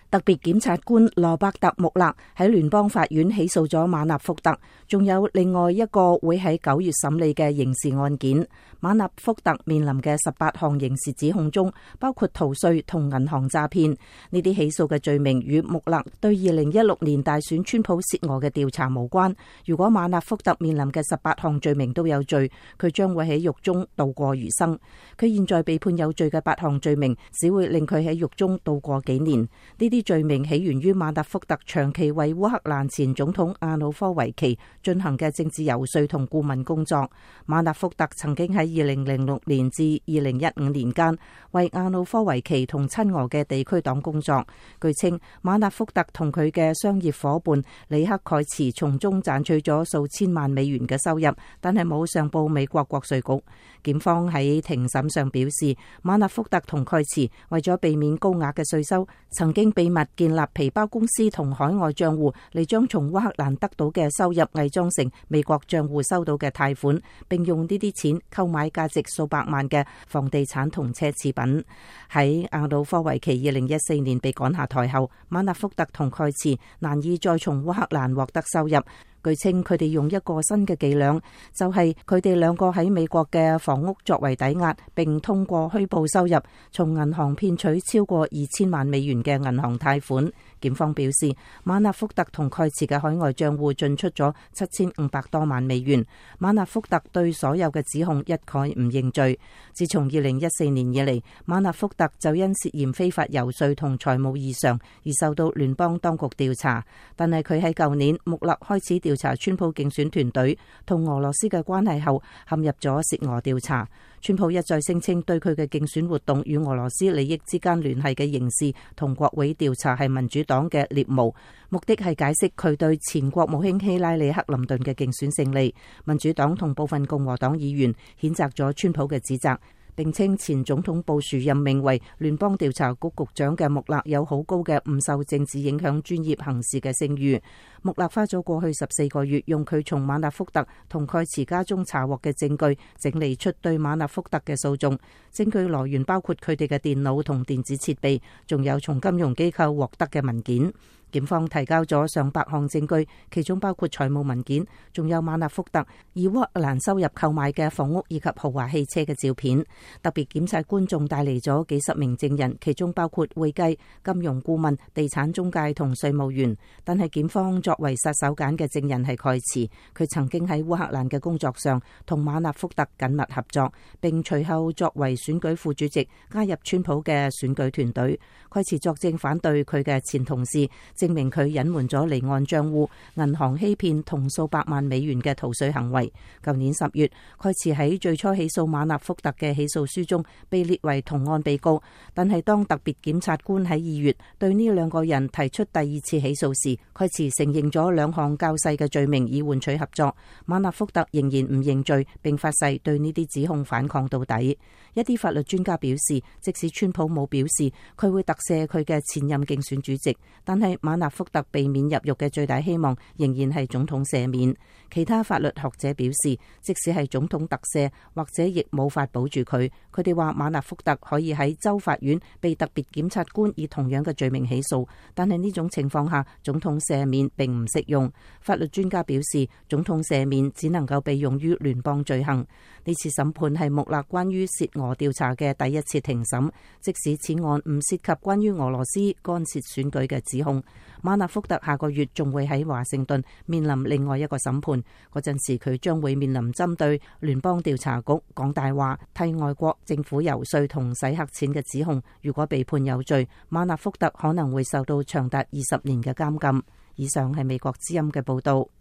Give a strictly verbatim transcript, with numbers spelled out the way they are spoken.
特別檢察官羅伯特·穆勒喺聯邦法院起訴咗馬納福特，仲有另外一個會喺九月審理嘅刑事案件。馬納福特面臨嘅十八項刑事指控中，包括逃稅同銀行詐騙。呢啲起訴嘅罪名與穆勒對二零一六年大選川普涉俄嘅調查無關。如果馬納福特面臨嘅十八項罪名都有罪，佢將會喺獄中度過餘生。佢現在被判有罪嘅八項罪名，只會令佢喺獄中度過幾年。呢啲罪名起源於馬納福特長期為烏克蘭前總統亞努科維奇進行嘅政治遊說同顧問工作。馬納福特曾經喺二零零六年至二零一五年間為亞努科維奇同親俄嘅地區黨工作。據稱，馬納福特同佢嘅商業夥伴里克蓋茨從中賺取咗數千萬美元嘅收入，但係冇上報美國國稅局。檢方喺庭審上表示，馬納福特同蓋茨為咗避免高額嘅稅收，曾經秘密建立皮包公司同海外賬戶，嚟將從烏克蘭得到嘅收入偽裝成美國賬戶收到嘅貸款，並用呢啲錢購買價值數百萬嘅房地產同奢侈品。喺亞努科維奇二零一四年被趕下台後，馬納福特同蓋茨難以再從烏克蘭獲得收入。據稱，佢哋用一個新嘅伎倆，就係佢哋兩個喺美國嘅房屋作為抵押，並通過虛報收入，從銀行騙取超過二千萬美元嘅銀行貸款。檢方表示，馬納福特同蓋茨嘅海外賬戶進出咗七千五百多萬美元。馬納福特對所有嘅指控一概唔認罪。自從二零一四年以嚟，馬納福特就因涉嫌非法遊說同財務異常而受到聯邦當局調查。但係佢喺舊年穆勒開始調查川普競選團隊同俄羅斯嘅關係後，陷入咗涉俄調查。川普一再聲稱對佢嘅競選活動與俄羅斯利益之間聯繫嘅刑事同國會調查係民主黨嘅獵巫，目的係解釋佢對前國務卿希拉里克林頓嘅競選勝利。民主黨同部分共和黨議員譴責咗川普嘅指責，並稱前總統布殊任命為聯邦調查局局長嘅穆勒有好高嘅唔受政治影響專業行事嘅聲譽。穆勒花咗過去十四個月，用佢從馬納福特同蓋茨家中查獲嘅證據，整理出對馬納福特嘅訴訟。證據來源包括佢哋嘅電腦同電子設備，仲有從金融機構獲得嘅文件。檢方提交咗上百項證據，其中包括財務文件，仲有馬納福特以烏克蘭收入購買嘅房屋以及豪華汽車嘅照片。特別檢察官仲帶嚟咗幾十名證人，其中包括會計、金融顧問、地產中介同稅務員。但係檢方作為殺手鐧嘅證人係蓋茨，佢曾經喺烏克蘭嘅工作上同馬納福特緊密合作，並隨後作為選舉副主席加入川普嘅選舉團隊。蓋茨作證反對佢嘅前同事，證明佢隱瞞咗離岸賬戶、銀行欺騙同數百萬美元嘅逃稅行為。舊年十月，蓋茨喺最初起訴馬納福特嘅起訴書中被列為同案被告，但係當特別檢察官喺二月對呢兩個人提出第二次起訴時，蓋茨承認咗兩項較細嘅罪名以換取合作。馬納福特仍然唔認罪，並發誓對呢啲指控反抗到底。一啲法律專家表示，即使川普冇表示佢會特赦佢嘅前任競選主席，但係馬納福特避免入獄嘅最大希望仍然係總統赦免。其他法律學者表示，即使係總統特赦，或者亦冇法保住佢。佢哋話馬納福特可以喺州法院被特別檢察官以同樣嘅罪名起訴，但係呢種情況下，總統赦免並唔適用。法律專家表示，總統赦免只能夠被用於聯邦罪行。呢次審判係穆勒關於涉俄調查嘅第一次庭審，即使此案唔涉及關於俄羅斯干涉選舉嘅指控。馬納福特下個月仲會喺華盛頓面臨另外一個審判，嗰陣時佢將會面臨針對聯邦調查局講大話、替外國政府遊說同洗黑錢嘅指控。如果被判有罪，馬納福特可能會受到長達二十年嘅監禁。以上係美國之音嘅報道。